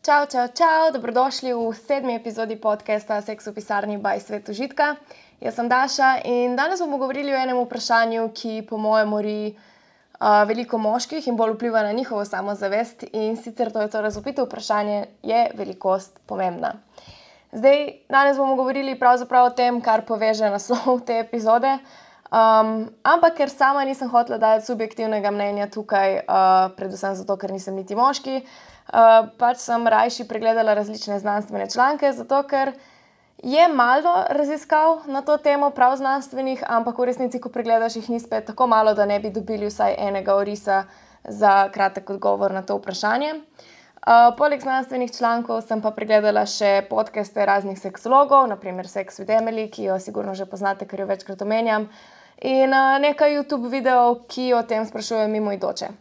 Čau, čau, čau, dobrodošli v 7. epizodi podcasta Seks v pisarni by Svet užitka. Jaz sem Daša in danes bomo govorili o enem vprašanju, ki po mojem mori veliko moških in bolj vpliva na njihovo samozavest, in sicer to je to razvpito vprašanje, je velikost pomembna. Danes bomo govorili pravzaprav o tem, kar poveže naslov te epizode, ampak ker sama nisem hotela dati subjektivnega mnenja tukaj, predvsem zato, ker nisem niti moški, pač sem rajši pregledala različne znanstvene članke, zato ker je malo raziskav na to temo, prav znanstvenih, ampak v resnici, ko pregledaš, jih ni spet tako malo, da ne bi dobili vsaj enega orisa za kratek odgovor na to vprašanje. Poleg znanstvenih člankov sem pa pregledala še podcaste raznih seksologov, naprimer Sex with Emily, ki jo sigurno že poznate, ker jo večkrat omenjam, in nekaj YouTube videov, ki o tem sprašujejo mimoidoče.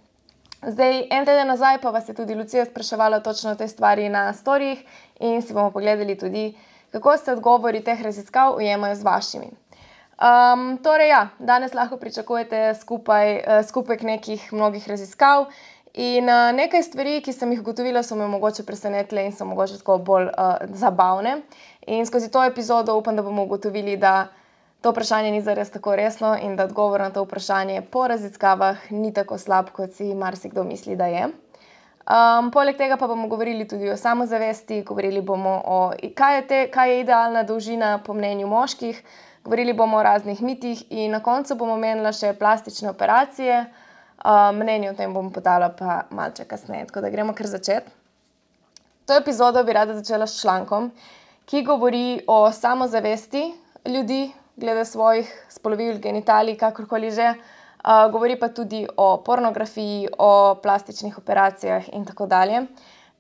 En teden nazaj pa vas je tudi Lucija spraševala točno o tej stvari na storijih in si bomo pogledali tudi, kako se odgovori teh raziskav ujemajo z vašimi. Danes lahko pričakujete skupek nekih mnogih raziskav in nekaj stvari, ki sem jih ugotovila, so me mogoče presenetile in so mogoče tako bolj zabavne. In skozi to epizodo upam, da bomo ugotovili, da to vprašanje ni zares tako resno in da odgovor na to vprašanje po raziskavah ni tako slab, kot si marsikdo misli, da je. Poleg tega pa bomo govorili tudi o samozavesti, govorili bomo o kaj je idealna dolžina po mnenju moških, govorili bomo o raznih mitih in na koncu bomo omenila še plastične operacije. Mnenje o tem bom podala pa malce kasneje, tako da gremo kar začeti. To epizodo bi rada začela s člankom, ki govori o samozavesti ljudi glede svojih spolovil, genitalij, kakorkoli že. Govori pa tudi o pornografiji, o plastičnih operacijah in tako dalje.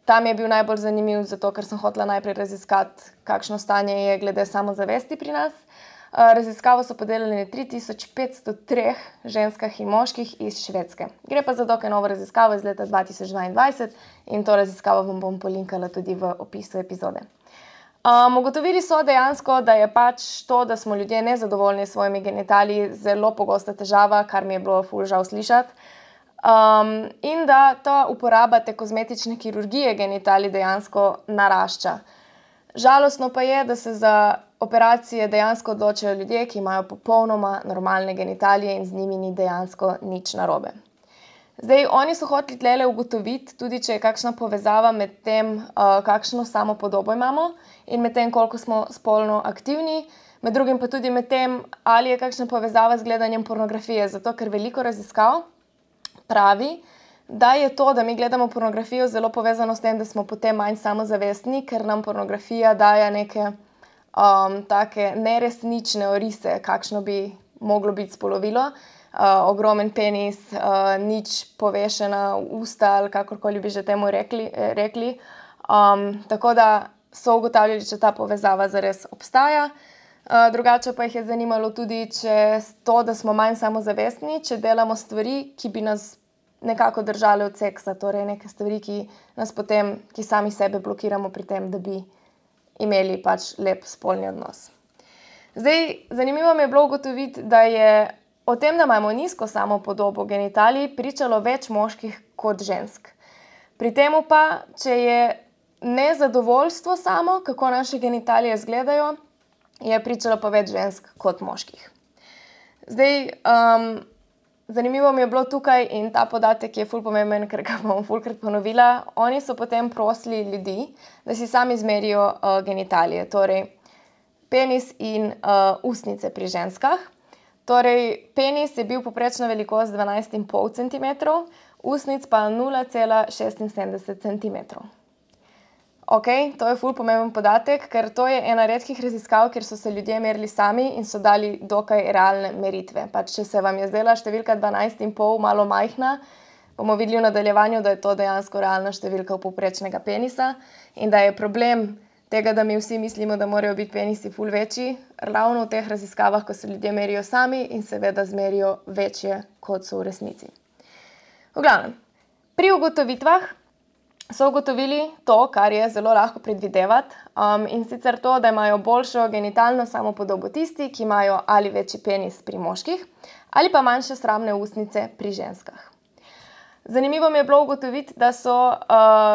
Tam je bil najbolj zanimiv, zato ker sem hotela najprej raziskati, kakšno stanje je glede samozavesti pri nas. Raziskavo so podelili na 3503 ženskah in moških iz Švedske. Gre pa za dokaj novo raziskavo iz leta 2022 in to raziskavo vam bom polinkala tudi v opisu epizode. Ugotovili so dejansko, da je pač to, da smo ljudje nezadovoljni s svojimi genitaliji, zelo pogosta težava, kar mi je bilo ful žal slišati. In da ta uporaba te kozmetične kirurgije genitalij dejansko narašča. Žalostno pa je, da se za operacije dejansko odločajo ljudje, ki imajo popolnoma normalne genitalije in z njimi ni dejansko nič narobe. Oni so hoteli tlele ugotoviti, tudi če je kakšna povezava med tem, kakšno samopodobo imamo in med tem, koliko smo spolno aktivni, med drugim pa tudi med tem, ali je kakšna povezava z gledanjem pornografije, zato ker veliko raziskav pravi, da je to, da mi gledamo pornografijo, zelo povezano s tem, da smo potem manj samozavestni, ker nam pornografija daje neke take neresnične orise, kakšno bi moglo biti spolovilo. Ogromen penis, nič povešena usta ali kakorkoli bi že temu rekli. Tako da so ugotavljali, če ta povezava zares obstaja. Drugače pa jih je zanimalo tudi, če to, da smo manj samozavestni, če delamo stvari, ki bi nas nekako držale od seksa, torej neke stvari, ki sami sebe blokiramo pri tem, da bi imeli pač lep spolni odnos. Zanimivo mi je bilo ugotoviti, da je o tem, da imamo nizko samopodobo genitalij, pričalo več moških kot žensk. Pri temu pa, če je nezadovoljstvo samo, kako naše genitalije izgledajo, je pričalo pa več žensk kot moških. Zanimivo mi je bilo tukaj in ta podatek je ful pomemben, ker ga bom fulkrat ponovila. Oni so potem prosili ljudi, da si sami izmerijo genitalije, torej penis in ustnice pri ženskah. Torej, penis je bil povprečna velikost 12,5 cm, ustnic pa 0,76 cm. To je ful pomemben podatek, ker to je ena redkih raziskav, kjer so se ljudje merili sami in so dali dokaj realne meritve. Pač, če se vam je zdela številka 12,5 malo majhna, bomo videli v nadaljevanju, da je to dejansko realna številka povprečnega penisa in da je problem tega, da mi vsi mislimo, da morajo biti penisi ful večji, ravno v teh raziskavah, ko se ljudje merijo sami in seveda zmerijo večje, kot so v resnici. V glavnem, pri ugotovitvah so ugotovili to, kar je zelo lahko predvidevati, in sicer to, da imajo boljšo genitalno samopodobo tisti, ki imajo ali večji penis pri moških ali pa manjše sramne ustnice pri ženskah. Zanimivo mi je bilo ugotoviti, da so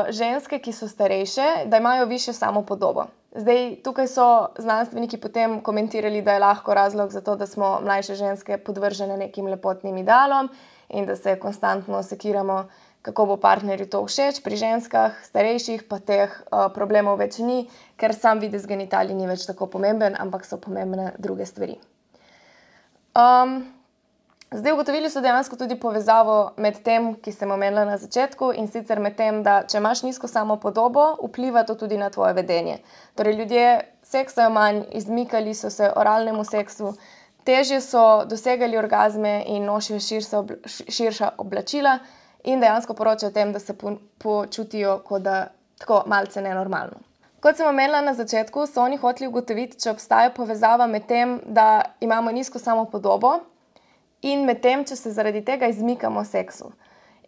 ženske, ki so starejše, da imajo višjo samopodobo. Zdaj, tukaj so znanstveniki potem komentirali, da je lahko razlog za to, da smo mlajše ženske podvržene nekim lepotnim idealom in da se konstantno sekiramo, kako bo partnerju to všeč. Pri ženskah, starejših pa teh problemov več ni, ker sam videz genitalij ni več tako pomemben, ampak so pomembne druge stvari. Zdaj, ugotovili so dejansko tudi povezavo med tem, ki sem omenila na začetku, in sicer med tem, da če imaš nizko samopodobo, vpliva to tudi na tvoje vedenje. Torej, ljudje seksajo manj, izmikali so se oralnemu seksu, težje so dosegali orgazme in nosijo širša oblačila in dejansko poročajo o tem, da se počutijo kot da tako malce nenormalno. Kot sem omenila na začetku, so oni hoteli ugotoviti, če obstaja povezava med tem, da imamo nizko samopodobo in med tem, če se zaradi tega izmikamo seksu.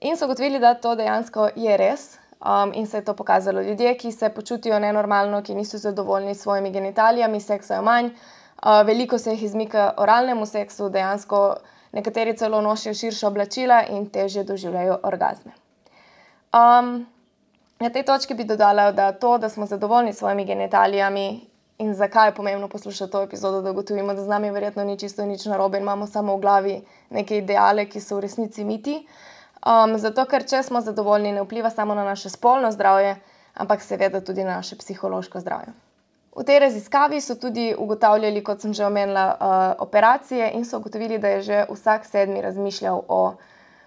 In so ugotovili, da to dejansko je res in se je to pokazalo. Ljudje, ki se počutijo nenormalno, ki niso zadovoljni s svojimi genitalijami, seksajo manj, veliko se jih izmika oralnemu seksu, dejansko nekateri celo nosijo širša oblačila in težje doživljajo orgazme. Na tej točki bi dodala, da to, da smo zadovoljni s svojimi genitalijami in zakaj je pomembno poslušati to epizodo, da ugotovimo, da z nami verjetno ni čisto nič narobe in imamo samo v glavi neke ideale, ki so v resnici miti. Zato, ker če smo zadovoljni, ne vpliva samo na naše spolno zdravje, ampak seveda tudi na naše psihološko zdravje. V tej raziskavi so tudi ugotavljali, kot sem že omenila, operacije in so ugotovili, da je že vsak 7. razmišljal o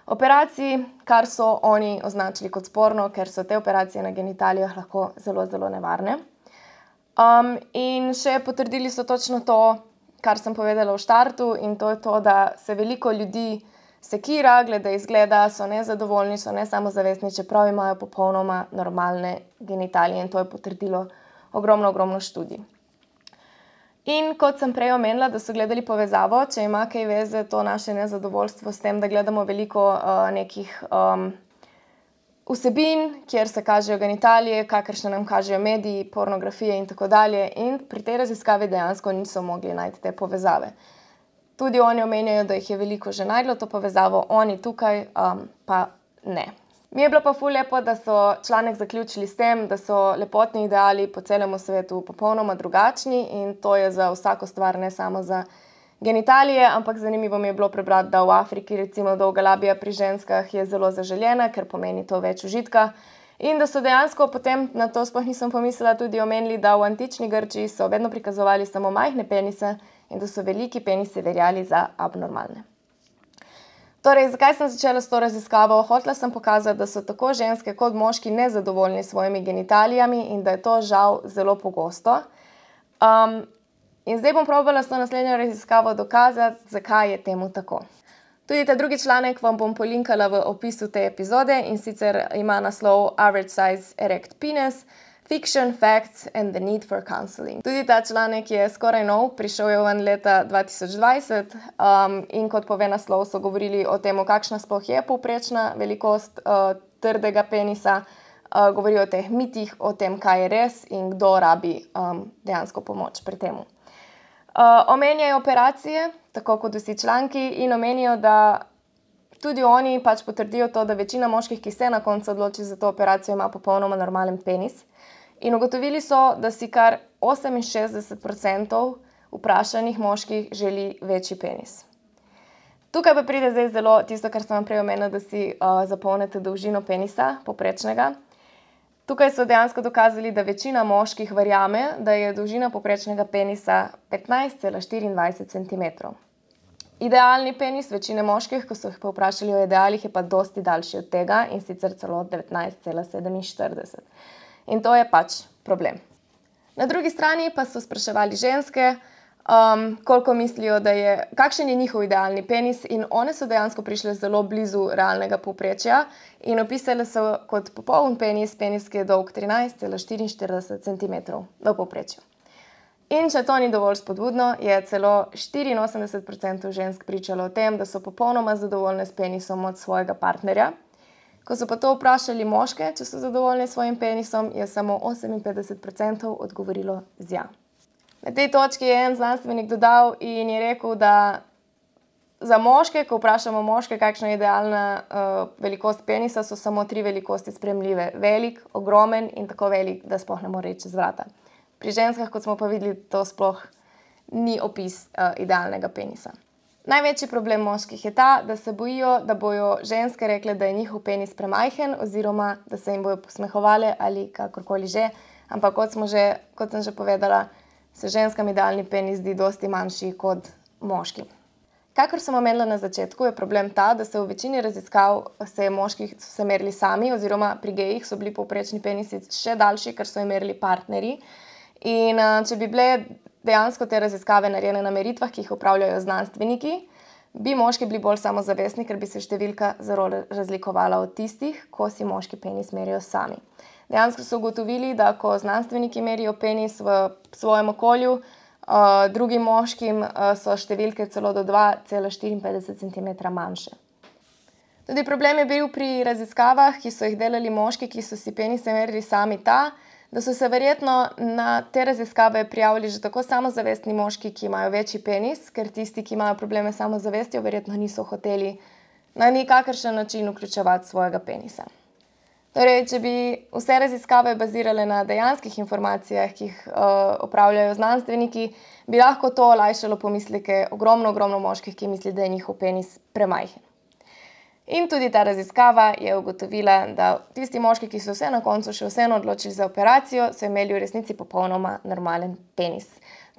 operaciji, kar so oni označili kot sporno, ker so te operacije na genitalijah lahko zelo, zelo nevarne. In še potrdili so točno to, kar sem povedala v štartu, in to je to, da se veliko ljudi sekira, glede izgleda, so nezadovoljni, so nesamozavestni, čeprav imajo popolnoma normalne genitalije, in to je potrdilo ogromno študij. In kot sem prej omenila, da so gledali povezavo, če ima kaj veze to naše nezadovoljstvo s tem, da gledamo veliko nekih vsebin, kjer se kažejo genitalije, kakršne nam kažejo mediji, pornografije in tako dalje. In pri tej raziskavi dejansko niso mogli najti te povezave. Tudi oni omenjajo, da jih je veliko že najdlo to povezavo, oni tukaj pa ne. Mi je bilo pa ful lepo, da so članek zaključili s tem, da so lepotni ideali po celem svetu popolnoma drugačni in to je za vsako stvar, ne samo za genitalije, ampak zanimivo mi je bilo prebrati, da v Afriki recimo dolga labija pri ženskah je zelo zaželjena, ker pomeni to več užitka. In da so dejansko potem, na to sploh nisem pomislila, tudi omenili, da v antični Grčiji so vedno prikazovali samo majhne penise in da so veliki penisi veljali za abnormalne. Torej, zakaj sem začela s to raziskavo? Hotela sem pokazati, da so tako ženske kot moški nezadovoljni s svojimi genitalijami in da je to žal zelo pogosto. In zdaj bom probala s to naslednjo raziskavo dokazati, zakaj je temu tako. Tudi ta drugi članek vam bom polinkala v opisu te epizode in sicer ima naslov Average Size Erect Penis, Fiction, Facts and the Need for Counseling. Tudi ta članek je skoraj nov, prišel je ven leta 2020 in kot pove naslov, so govorili o tem, kakšna sploh je povprečna velikost trdega penisa, govorijo o teh mitih, o tem, kaj je res in kdo rabi dejansko pomoč pri temu. Omenjajo operacije, tako kot vsi članki, in omenijo, da tudi oni pač potrdijo to, da večina moških, ki se na koncu odloči za to operacijo, ima popolnoma normalen penis. In ugotovili so, da si kar 68% vprašanih moških želi večji penis. Tukaj pa pride zdaj zelo tisto, kar sem vam prej omenila, da si zapolnite dolžino penisa, povprečnega. Tukaj so dejansko dokazali, da večina moških verjame, da je dolžina povprečnega penisa 15,24 cm. Idealni penis večine moških, ko so jih pa vprašali o idealih, je pa dosti daljši od tega in sicer celo 19,47. In to je pač problem. Na drugi strani pa so spraševali ženske, koliko mislijo, da je, kakšen je njihov idealni penis, in one so dejansko prišle zelo blizu realnega povprečja in opisale so kot popoln penis, ki je dolg 13,44 cm v povprečju. In če to ni dovolj spodbudno, je celo 84% žensk pričalo o tem, da so popolnoma zadovoljne s penisom od svojega partnerja. Ko so pa to vprašali moške, če so zadovoljni s svojim penisom, je samo 58% odgovorilo z ja. Na tej točki je en znanstvenik dodal in je rekel, da Za moške, ko vprašamo moške, kakšna je idealna velikost penisa, so samo 3 velikosti sprejemljive. Velik, ogromen in tako velik, da sploh ne more iti čez vrata. Pri ženskah, kot smo pa videli, to sploh ni opis idealnega penisa. Največji problem moških je ta, da se bojijo, da bojo ženske rekle, da je njihov penis premajhen oziroma da se jim bojo posmehovale ali kakorkoli že. Ampak kot sem že povedala, se ženskam idealni penis zdi dosti manjši kot moškim. Kakor sem omenila na začetku, je problem ta, da se v večini raziskav moški so se merili sami oziroma pri gejih so bili povprečni penisi še daljši, ker so jim merili partnerji. In če bi bile dejansko te raziskave narejene na meritvah, ki jih opravljajo znanstveniki, bi moški bili bolj samozavestni, ker bi se številka zelo razlikovala od tistih, ko si moški penis merijo sami. Dejansko so ugotovili, da ko znanstveniki merijo penis v svojem okolju, drugim moškim so številke celo do 2,54 cm manjše. Tudi problem je bil pri raziskavah, ki so jih delali moški, ki so si penise merili sami ta, da so se verjetno na te raziskave prijavili že tako samozavestni moški, ki imajo večji penis, ker tisti, ki imajo probleme s samozavestjo, verjetno niso hoteli na nikakršen način vključevati svojega penisa. Torej, če bi vse raziskave bazirale na dejanskih informacijah, ki jih opravljajo znanstveniki, bi lahko to olajšalo pomisleke ogromno moških, ki misli, da je njihov penis premajhen. In tudi ta raziskava je ugotovila, da tisti moški, ki so se na koncu še vseeno odločili za operacijo, so imeli v resnici popolnoma normalen penis.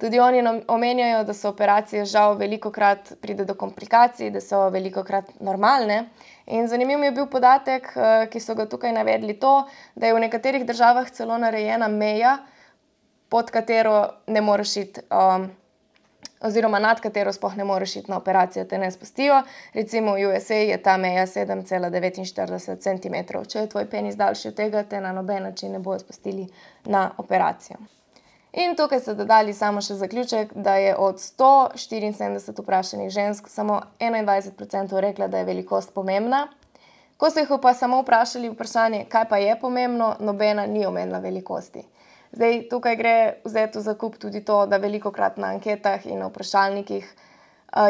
Tudi oni omenjajo, da so operacije žal velikokrat pride do komplikacij, da so velikokrat normalne. In zanimiv mi je bil podatek, ki so ga tukaj navedli to, da je v nekaterih državah celo narejena meja, pod katero ne moreš iti, oziroma nad katero sploh ne moreš iti na operacijo, te ne spustijo. Recimo v USA je ta meja 7,49 cm. Če je tvoj penis daljši od tega, te na noben način ne bojo spustili na operacijo. In tukaj so dodali samo še zaključek, da je od 174 vprašanih žensk samo 21% rekla, da je velikost pomembna. Ko so jih pa samo vprašali vprašanje, kaj pa je pomembno, nobena ni omenila velikosti. Zdaj, tukaj gre vzeti v zakup tudi to, da velikokrat na anketah in na vprašalnikih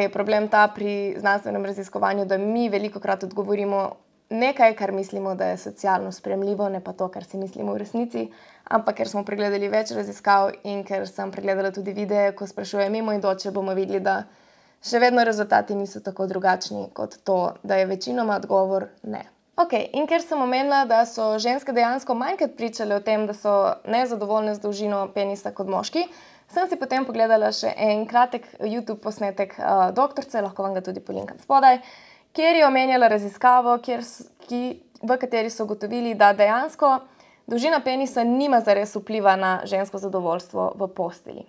je problem ta pri znanstvenem raziskovanju, da mi velikokrat odgovorimo nekaj, kar mislimo, da je socialno sprejemljivo, ne pa to, kar si mislimo v resnici, ampak ker smo pregledali več raziskav in ker sem pregledala tudi videe, ko sprašujem mimoidoče, bomo videli, da še vedno rezultati niso tako drugačni kot to, da je večinoma odgovor ne. In ker sem omenila, da so ženske dejansko manjkrat pričale o tem, da so nezadovoljne z dolžino penisa kot moški, sem si potem pogledala še en kratek YouTube posnetek doktorice, lahko vam ga tudi polinkam spodaj, kjer je omenjala raziskavo, v kateri so ugotovili, da dejansko dolžina penisa nima zares vpliva na žensko zadovoljstvo v postelji.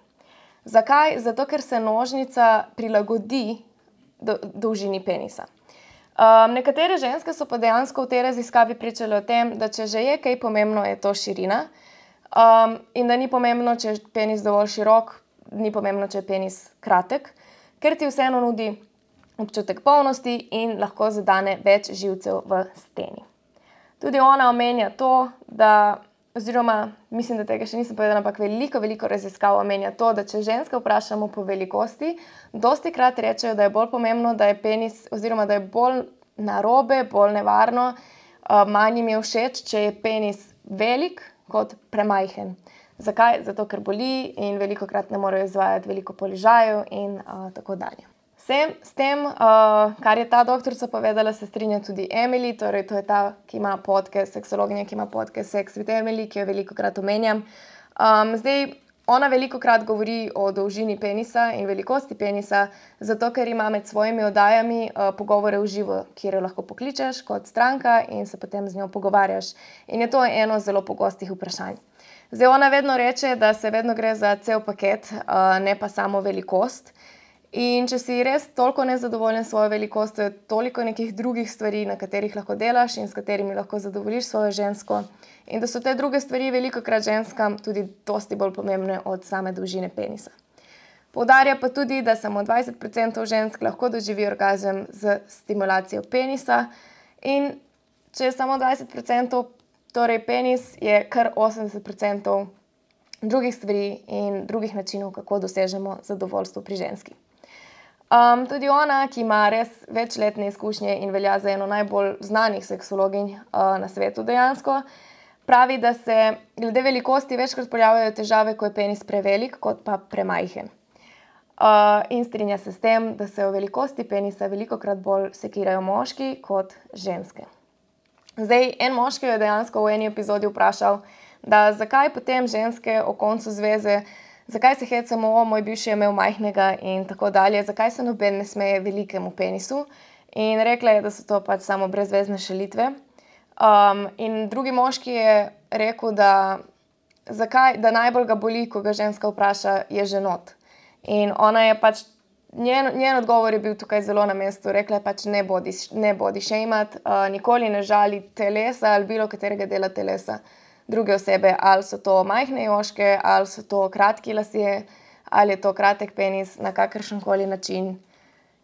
Zakaj? Zato, ker se nožnica prilagodi dolžini penisa. Nekatere ženske so pa dejansko v tej raziskavi pričale o tem, da če že je kaj pomembno, je to širina, in da ni pomembno, če je penis dovolj širok, ni pomembno, če je penis kratek, ker ti vseeno nudi občutek polnosti in lahko zadane več živcev v steni. Tudi ona omenja to, oziroma mislim, da tega še nisem povedala, ampak veliko raziskav omenja to, da če ženske vprašamo po velikosti, dostikrat rečejo, da je bolj pomembno, da je penis, oziroma da je bolj narobe, bolj nevarno, manj jim je všeč, če je penis velik kot premajhen. Zakaj? Zato, ker boli in velikokrat ne morejo izvajati veliko položajev in tako dalje. S tem, kar je ta doktorica povedala, se strinja tudi Emily, torej to je ta, ki ima podcast, seksologinja, ki ima podcast Sex with Emily, ki jo velikokrat omenjam. Zdaj, ona velikokrat govori o dolžini penisa in velikosti penisa, zato ker ima med svojimi oddajami pogovore v živo, kjer jo lahko pokličeš kot stranka in se potem z njo pogovarjaš. In je to eno zelo pogostih vprašanj. Zdaj, ona vedno reče, da se vedno gre za cel paket, ne pa samo velikost. In če si res toliko nezadovoljen s svojo velikostjo, je toliko nekih drugih stvari, na katerih lahko delaš in s katerimi lahko zadovoljiš svojo žensko. In da so te druge stvari velikokrat ženskam tudi dosti bolj pomembne od same dolžine penisa. Poudarja pa tudi, da samo 20% žensk lahko doživi orgazem z stimulacijo penisa. In če je samo 20%, torej penis, je kar 80% drugih stvari in drugih načinov, kako dosežemo zadovoljstvo pri ženski. Tudi ona, ki ima res večletne izkušnje in velja za eno najbolj znanih seksologinj na svetu dejansko, pravi, da se glede velikosti večkrat pojavljajo težave, ko je penis prevelik, kot pa premajhen. In strinja se s tem, da se o velikosti penisa velikokrat bolj sekirajo moški kot ženske. Zdaj, en moški je dejansko v eni epizodi vprašal, da zakaj potem ženske o koncu zveze, zakaj se hecamo, moj bivši je imel majhnega in tako dalje, zakaj se noben ne smeje velikemu penisu. In rekla je, da so to pač samo brezvezne šalitve. In drugi moški je rekel, da najbolj ga boli, ko ga ženska vpraša, je ženot. In ona je pač, njen odgovor je bil tukaj zelo na mestu. Rekla je pač ne body shameat, nikoli ne žali telesa ali bilo katerega dela telesa druge osebe. Ali so to majhne jožke, ali so to kratki lasje, ali je to kratek penis, na kakršenkoli način.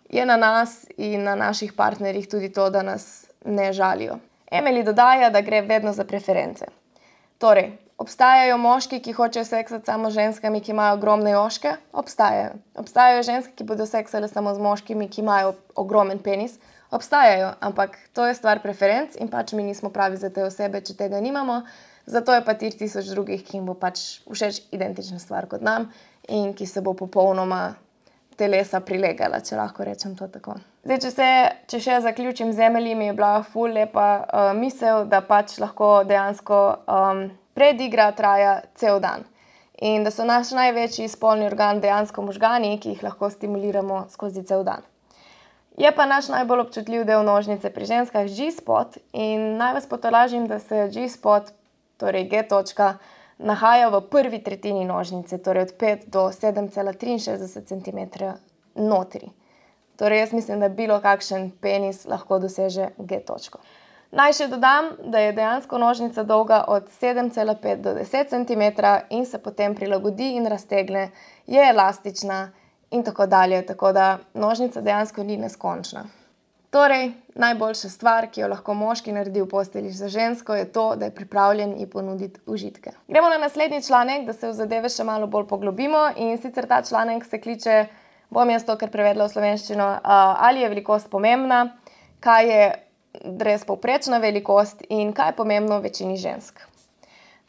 Je na nas in na naših partnerjih tudi to, da nas ne žalijo. Emily dodaja, da gre vedno za preference. Torej, obstajajo moški, ki hočejo seksati samo z ženskami, ki imajo ogromne jožke? Obstajajo. Obstajajo ženske, ki bodo seksale samo z moškimi, ki imajo ogromen penis? Obstajajo, ampak to je stvar preferenc in pač mi nismo pravi za te osebe, če tega nimamo. Zato je pa 3000 drugih, ki jim bo pač všeč identična stvar kot nam in ki se bo popolnoma telesa prilegala, če lahko rečem to tako. Zdaj, če še zaključim z Emily, mi je bila ful lepa misel, da pač lahko dejansko predigra traja cel dan. In da so naš največji spolni organ dejansko možgani, ki jih lahko stimuliramo skozi cel dan. Je pa naš najbolj občutljiv del nožnice pri ženskah G-spot in naj vas potolažim, da se G-spot, torej G-točka, nahaja v prvi tretjini nožnice, torej od 5 do 7,63 cm notri. Torej jaz mislim, da bilo kakšen penis lahko doseže G-točko. Naj še dodam, da je dejansko nožnica dolga od 7,5 do 10 cm in se potem prilagodi in raztegne, je elastična in tako dalje, tako da nožnica dejansko ni neskončna. Torej, najboljša stvar, ki jo lahko moški naredi v postelji za žensko, je to, da je pripravljen ji ponuditi užitke. Gremo na naslednji članek, da se v zadeve še malo bolj poglobimo in sicer ta članek se kliče, bom jaz to kar prevedla v slovenščino, ali je velikost pomembna, kaj je res povprečna velikost in kaj je pomembno večini žensk.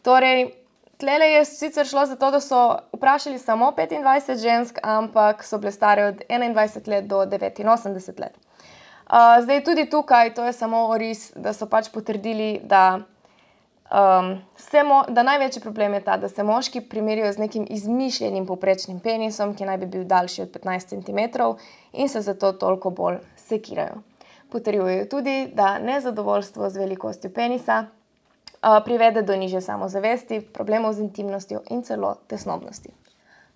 Torej, tlele je sicer šlo za to, da so vprašali samo 25 žensk, ampak so bile stare od 21 let do 89 let. Zdaj tudi tukaj, to je samo oris, da so pač potrdili, da največji problem je ta, da se moški primerijo z nekim izmišljenim povprečnim penisom, ki naj bi bil daljši od 15 cm in se zato toliko bolj sekirajo. Potrjujejo tudi, da nezadovoljstvo z velikostjo penisa privede do nižje samozavesti, problemov z intimnostjo in celo tesnobnosti.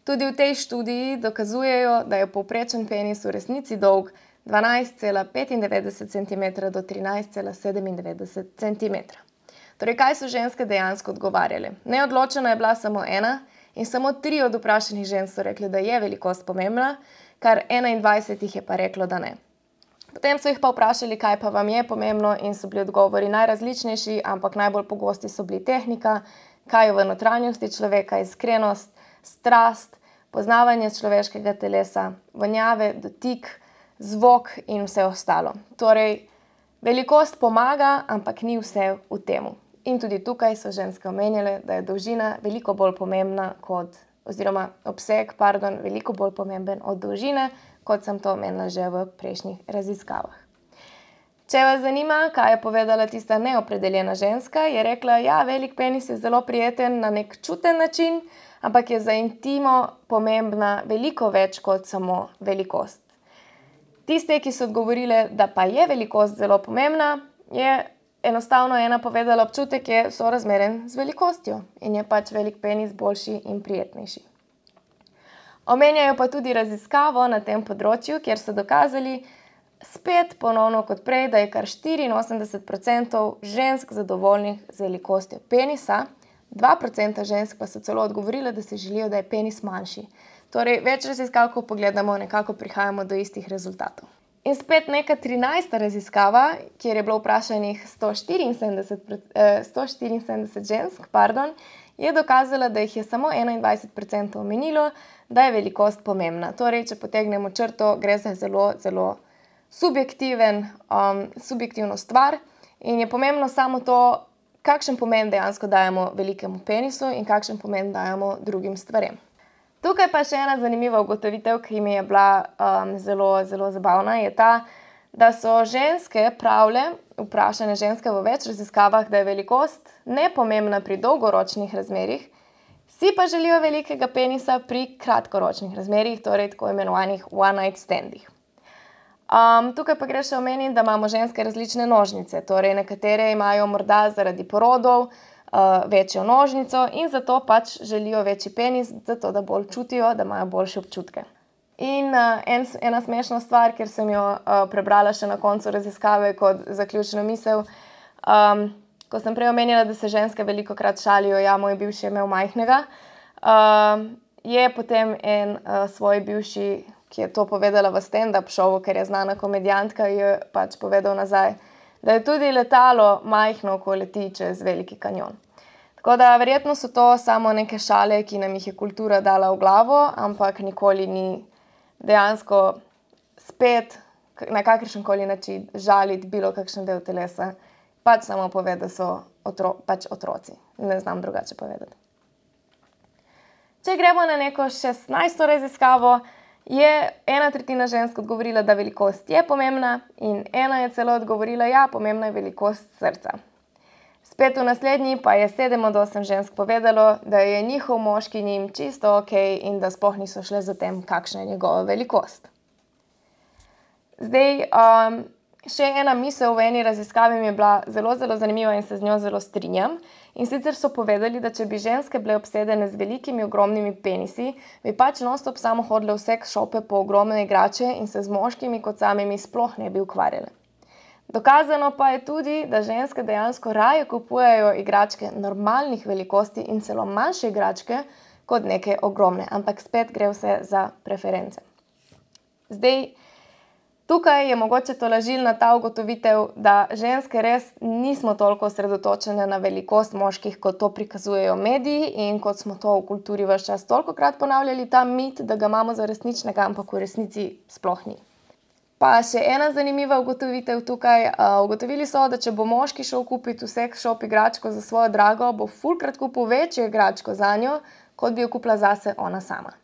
Tudi v tej študiji dokazujejo, da je povprečen penis v resnici dolg 12,95 cm do 13,97 cm. Torej, kaj so ženske dejansko odgovarjale? Neodločena je bila samo ena in samo 3 od vprašanih žensk so rekli, da je velikost pomembna, kar 21 jih je pa reklo, da ne. Potem so jih pa vprašali, kaj pa vam je pomembno in so bili odgovori najrazličnejši, ampak najbolj pogosti so bili tehnika, kaj je v notranjosti človeka, iskrenost, strast, poznavanje človeškega telesa, vonjave, dotik, zvok in vse ostalo. Torej, velikost pomaga, ampak ni vse v temu. In tudi tukaj so ženske omenjale, da je dolžina veliko bolj pomembna oziroma obseg, veliko bolj pomemben od dolžine, kot sem to omenila že v prejšnjih raziskavah. Če vas zanima, kaj je povedala tista neopredeljena ženska, je rekla, ja, velik penis je zelo prijeten na nek čuten način, ampak je za intimo pomembna veliko več kot samo velikost. Tiste, ki so odgovorile, da pa je velikost zelo pomembna, je enostavno ena povedala, občutek je sorazmeren z velikostjo in je pač velik penis boljši in prijetnejši. Omenjajo pa tudi raziskavo na tem področju, kjer so dokazali, spet ponovno kot prej, da je kar 84% žensk zadovoljnih z velikostjo penisa, 2% žensk pa so celo odgovorile, da si želijo, da je penis manjši. Torej, več raziskav, ko pogledamo, nekako prihajamo do istih rezultatov. In spet neka 13. raziskava, kjer je bilo vprašanih 174 žensk, je dokazala, da jih je samo 21% omenilo, da je velikost pomembna. Torej, če potegnemo črto, gre za zelo, zelo subjektivno stvar in je pomembno samo to, kakšen pomen dejansko dajemo velikemu penisu in kakšen pomen dajemo drugim stvarem. Tukaj pa še ena zanimiva ugotovitev, ki mi je bila zelo, zelo zabavna, je ta, da so ženske pravile, vprašane ženske v več raziskavah, da je velikost nepomembna pri dolgoročnih razmerjih, si pa želijo velikega penisa pri kratkoročnih razmerjih, torej tako imenovanih one night standih. Tukaj pa gre še omeniti, da imamo ženske različne nožnice, torej nekatere imajo morda zaradi porodov večjo nožnico in zato pač želijo večji penis, zato da bolj čutijo, da imajo boljše občutke. In ena smešna stvar, ker sem jo prebrala še na koncu raziskave kot zaključno misel, ko sem prej omenila, da se ženske velikokrat šalijo, ja, moj bivši je imel majhnega, je potem en svoj bivši, ki je to povedala v stand-up šovu, ker je znana komedijantka, je pač povedal nazaj, da je tudi letalo majhno, ko leti čez Veliki kanjon. Tako da verjetno so to samo neke šale, ki nam jih je kultura dala v glavo, ampak nikoli ni dejansko spet na kakršenkoli način žaliti bilo kakšen del telesa. Pač samo pove, da so pač otroci. Ne znam drugače povedati. Če gremo na neko 16. raziskavo, je 1/3 žensk odgovorila, da velikost je pomembna in 1 je celo odgovorila, ja, pomembna je velikost srca. Spet v naslednji pa je 7 od 8 žensk povedalo, da je njihov moški njim čisto okej in da sploh niso šle za tem, kakšna je njegova velikost. Zdaj, še ena misel v eni raziskavi mi je bila zelo, zelo zanimiva in se z njo zelo strinjam. In sicer so povedali, da če bi ženske bile obsedene z velikimi, ogromnimi penisi, bi pač non-stop samo hodile v sex shope po ogromne igrače in se z moškimi kot samimi sploh ne bi ukvarjale. Dokazano pa je tudi, da ženske dejansko raje kupujejo igračke normalnih velikosti in celo manjše igračke kot neke ogromne, ampak spet gre vse za preference. Zdaj, tukaj je mogoče tolažilna ta ugotovitev, da ženske res nismo toliko osredotočene na velikost moških, kot to prikazujejo mediji in kot smo to v kulturi ves čas tolikokrat ponavljali, ta mit, da ga imamo za resničnega, ampak v resnici sploh ni. Pa še ena zanimiva ugotovitev tukaj. Ugotovili so, da če bo moški šel kupiti v sex shop igračko za svojo drago, bo fulkrat kupil večjo igračko zanjo, kot bi jo kupila zase ona sama.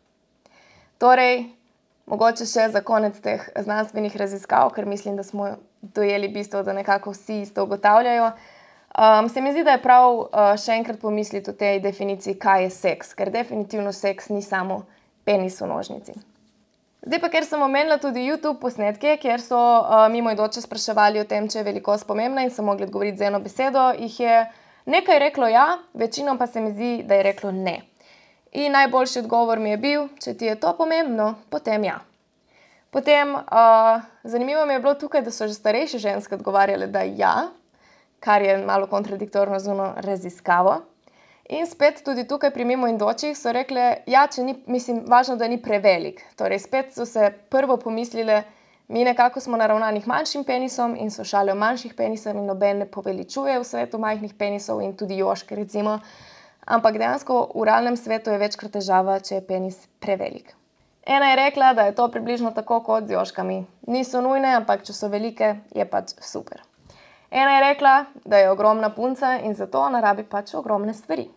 Torej, mogoče še za konec teh znanstvenih raziskav, ker mislim, da smo dojeli bistvo, da nekako vsi isto ugotavljajo. Se mi zdi, da je prav še enkrat pomisliti o tej definiciji, kaj je seks, ker definitivno seks ni samo penis v nožnici. Zdaj pa, ker sem omenila tudi YouTube posnetke, kjer so mimoidoče spraševali o tem, če je velikost pomembna in so mogli odgovoriti z eno besedo, jih je nekaj reklo ja, večino pa se mi zdi, da je reklo ne. In najboljši odgovor mi je bil, če ti je to pomembno, potem ja. Potem, zanimivo mi je bilo tukaj, da so že starejše ženske odgovarjale, da ja, kar je malo kontradiktorno z ono raziskavo. In spet tudi tukaj pri mimoidočih so rekle, ja, če ni, mislim, važno, da ni prevelik. Torej, spet so se prvo pomislile, mi nekako smo naravnanih manjšim penisom in so šale o manjših penisov in noben ne poveličuje v svetu majhnih penisov in tudi joške recimo. Ampak dejansko v realnem svetu je večkrat težava, če je penis prevelik. Ena je rekla, da je to približno tako kot z joškami. Niso nujne, ampak če so velike, je pač super. Ena je rekla, da je ogromna punca in zato ona rabi pač ogromne stvari.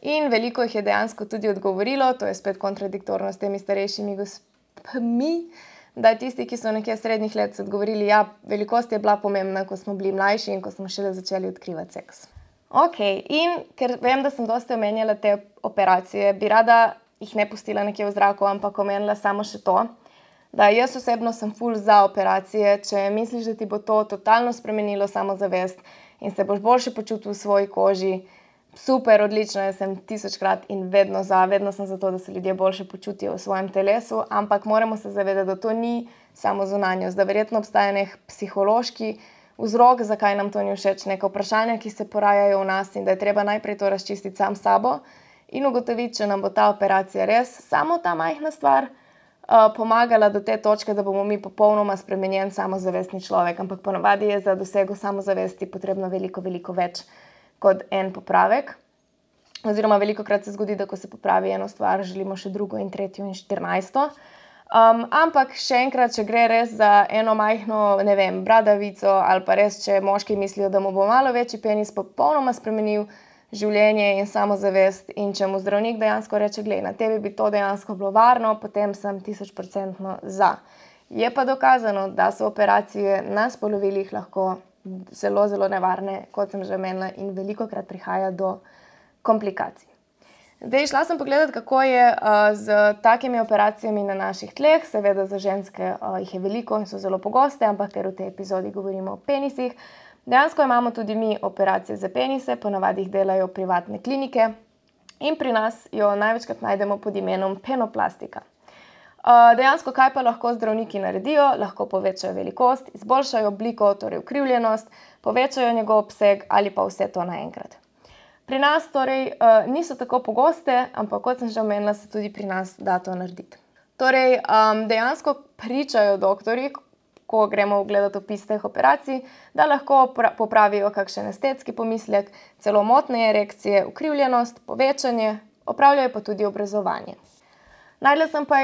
In veliko jih je dejansko tudi odgovorilo, to je spet kontradiktorno s temi starejšimi gospmi, da tisti, ki so nekje srednjih let, so odgovorili, ja, velikost je bila pomembna, ko smo bili mlajši in ko smo šele začeli odkrivati seks. Ok, in ker vem, da sem dosti omenjala te operacije, bi rada jih ne pustila nekje v zraku, ampak omenila samo še to, da jaz osebno sem ful za operacije, če misliš, da ti bo to totalno spremenilo samozavest in se boš boljše počutil v svoji koži, super, odlično, jaz sem 1000krat in vedno sem za to, da se ljudje boljše počutijo v svojem telesu, ampak moramo se zavedati, da to ni samo zunanjost, da verjetno obstaja nek psihološki vzrok, zakaj nam to ni všeč, neka vprašanja, ki se porajajo v nas in da je treba najprej to razčistiti sam s sabo in ugotoviti, če nam bo ta operacija res samo ta majhna stvar pomagala do te točke, da bomo mi popolnoma spremenjen samozavestni človek, ampak ponavadi je za dosego samozavesti potrebno veliko, veliko več kot en popravek. oziroma velikokrat se zgodi, da ko se popravi eno stvar, želimo še drugo in tretjo in 14. Ampak še enkrat, če gre res za eno majhno, ne vem, bradavico ali pa res, če moški mislijo, da mu bo malo večji penis popolnoma spremenil življenje in samozavest in če mu zdravnik dejansko reče, glej, na tebi bi to dejansko bilo varno, potem sem 1000% za. Je pa dokazano, da so operacije na spolovilih lahko zelo, zelo nevarne, kot sem že omenila, in velikokrat prihaja do komplikacij. Zdaj, šla sem pogledat, kako je z takimi operacijami na naših tleh. Seveda za ženske jih je veliko in so zelo pogoste, ampak ker v tej epizodi govorimo o penisih. Dejansko imamo tudi mi operacije za penise, ponavadi jih delajo privatne klinike in pri nas jo največkrat najdemo pod imenom penoplastika. Dejansko, kaj pa lahko zdravniki naredijo? Lahko povečajo velikost, izboljšajo obliko, torej ukrivljenost, povečajo njegov obseg ali pa vse to naenkrat. Pri nas torej niso tako pogoste, ampak kot sem že omenila, se tudi pri nas da to narediti. Torej, dejansko pričajo doktorji, ko gremo gledati opis teh operacij, da lahko popravijo kakšen estetski pomislek, celo motne erekcije, ukrivljenost, povečanje, opravljajo pa tudi obrezovanje. Našla sem pa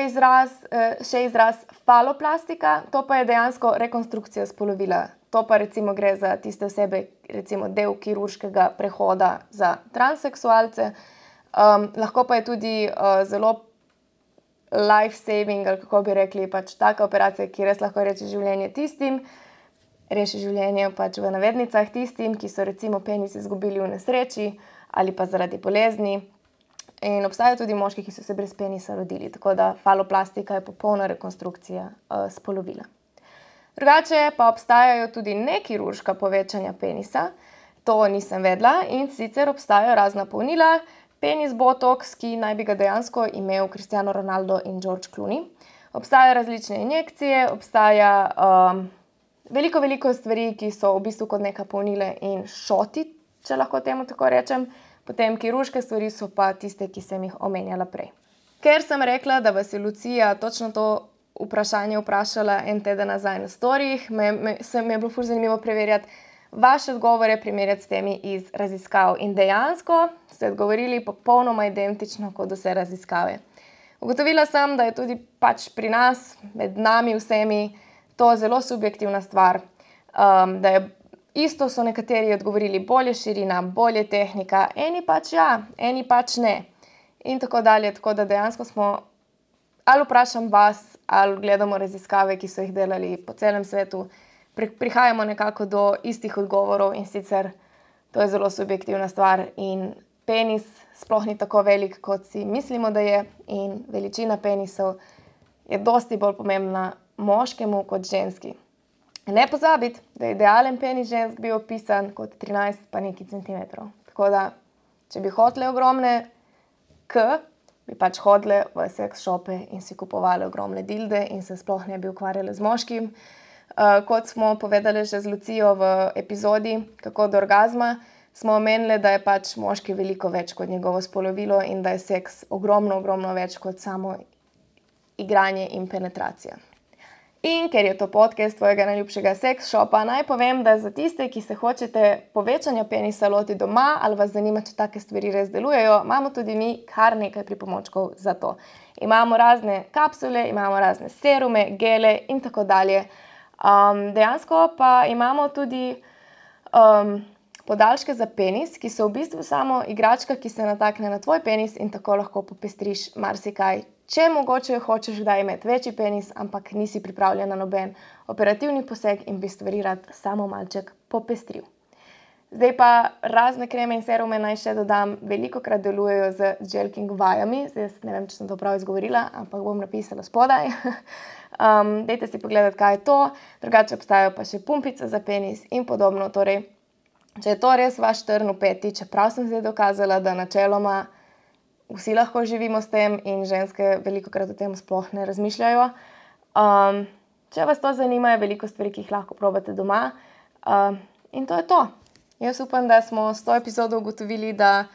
še izraz faloplastika, to pa je dejansko rekonstrukcija spolovila. To pa recimo gre za tiste osebe, recimo del kirurškega prehoda za transseksualce. Lahko pa je tudi zelo life-saving, ali kako bi rekli, pač taka operacija, ki res lahko reši življenje pač v navednicah tistim, ki so recimo penis izgubili v nesreči ali pa zaradi bolezni. In obstajajo tudi moški, ki so se brez penisa rodili, tako da faloplastika je popolna rekonstrukcija spolovila. Drugače pa obstajajo tudi nekirurška povečanja penisa, to nisem vedela, in sicer obstajajo razna polnila, penis botox, ki naj bi ga dejansko imel Cristiano Ronaldo in George Clooney. Obstajajo različne injekcije, obstaja veliko stvari, ki so v bistvu kot neka polnila in šoti, če lahko temu tako rečem. Potem kirurške stvari so pa tiste, ki sem jih omenjala prej. Ker sem rekla, da vas je Lucija točno to vprašanje vprašala en teden nazaj na storijih, mi je bilo ful zanimivo preverjati vaše odgovore, primerjati s temi iz raziskav. In dejansko ste odgovorili popolnoma identično kot vse raziskave. Ugotovila sem, da je tudi pač pri nas, med nami vsemi, to zelo subjektivna stvar, da je isto so nekateri odgovorili bolje širina, bolje tehnika, eni pač ja, eni pač ne. In tako dalje, tako da dejansko smo, ali vprašam vas, ali gledamo raziskave, ki so jih delali po celem svetu, prihajamo nekako do istih odgovorov in sicer to je zelo subjektivna stvar in penis sploh ni tako velik, kot si mislimo, da je, in veličina penisov je dosti bolj pomembna moškemu kot ženski. Ne pozabiti, da je idealen penis žensk bil opisan kot 13 pa nekaj centimetrov. Tako da, če bi hotele ogromne bi pač hodile v seks shope in si kupovali ogromne dilde in se sploh ne bi ukvarjali z moškim. Kot smo povedali že z Lucijo v epizodi Kako do orgazma, smo omenili, da je pač moški veliko več kot njegovo spolovilo in da je seks ogromno več kot samo igranje in penetracija. In ker je to podcast tvojega najljubšega seks shopa, naj povem, da za tiste, ki se hočete povečanja penisa loti doma ali vas zanima, če take stvari res delujejo, imamo tudi mi kar nekaj pripomočkov za to. Imamo razne kapsule, imamo razne serume, gele in tako dalje. Dejansko pa imamo tudi podaljške za penis, ki so v bistvu samo igračka, ki se natakne na tvoj penis in tako lahko popestriš marsikaj. Če mogoče hočeš kdaj imeti večji penis, ampak nisi pripravljen na noben operativni poseg in bi stvari rad samo malček popestril. Zdaj pa razne kreme in serume naj še dodam, velikokrat delujejo z jelking vajami. Zdaj ne vem, če sem to prav izgovorila, ampak bom napisala spodaj. Dajte si pogledati, kaj je to. Drugače obstajajo pa še pumpice za penis in podobno. Torej, če je to res vaš trn v peti, čeprav sem zdaj dokazala, da načeloma vsi lahko živimo s tem in ženske velikokrat o tem sploh ne razmišljajo. Če vas to zanima, je veliko stvari, ki jih lahko probate doma. In to je to. Jaz upam, da smo s to epizodo ugotovili, da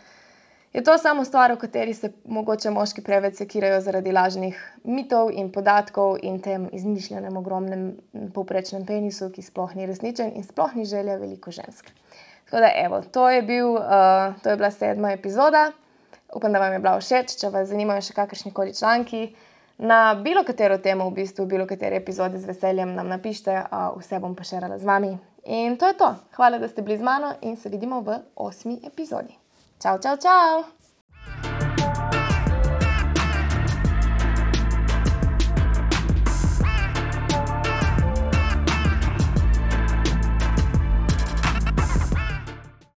je to samo stvar, o kateri se mogoče moški preveč sekirajo zaradi lažnih mitov in podatkov in tem izmišljenem ogromnem povprečnem penisu, ki sploh ni resničen in sploh ni želja veliko žensk. Tako da evo, to je bila 7. epizoda. Upam, da vam je bila všeč. Če vas zanimajo še kakršnikoli članki na bilo katero temo, v bistvu bilo kateri epizodi, z veseljem nam napišite, vse bom pa šerala z vami. In to je to. Hvala, da ste bili z mano in se vidimo v 8. epizodi. Čau, čau, čau!